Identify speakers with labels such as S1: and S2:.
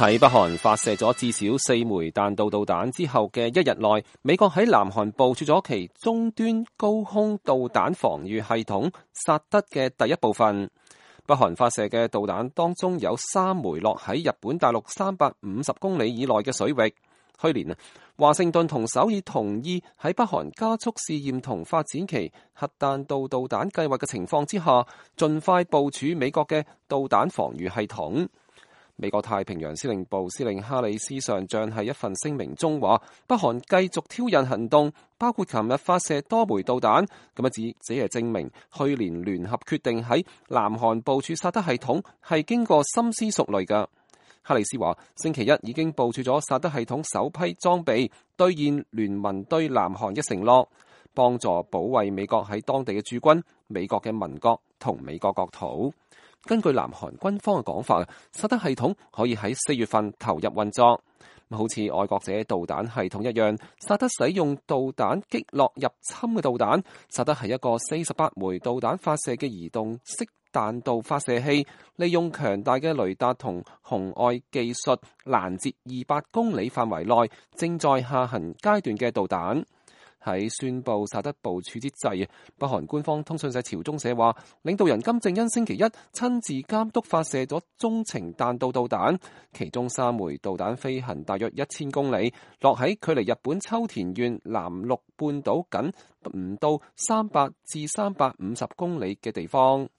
S1: 喺北韓發射咗至少4枚彈道導彈之後嘅一日內，美國喺南韓部署咗其終端高空導彈防禦系統薩德嘅第一部分。北韓發射嘅導彈當中有3枚落喺日本大陸350公里以內嘅水域。去年華盛頓同首爾同意喺北韓加速試驗同發展其核彈道導彈計劃嘅情況之下，盡快部署美國嘅導彈防禦系統。美國太平洋司令部司令哈里斯上將喺一份聲明中話，北韓繼續挑釁行動，包括琴日發射多枚導彈，咁只係證明去年聯合決定喺南韓部署薩德系統係經過深思熟慮㗎。哈里斯話，星期一已經部署咗薩德系統首批裝備，兌現聯盟對南韓嘅承諾，幫助保衛美國喺當地嘅駐軍、美國嘅民國同美國國土。根據南韓軍方嘅講法，薩德系統可以喺4月份投入運作。好似愛國者導彈系統一樣，薩德使用導彈擊落入侵嘅導彈。薩德係一個48枚導彈發射嘅移動式彈道發射器，利用強大嘅雷達同紅外技術攔截200公里範圍內正在下行階段嘅導彈。喺宣布薩德部署之際，北韓官方通訊社朝中社話，領導人金正恩星期一親自監督發射咗中程彈道導彈，其中3枚導彈飛行大約1000公里，落喺距離日本秋田縣南陸半島僅唔到300至350公里嘅地方。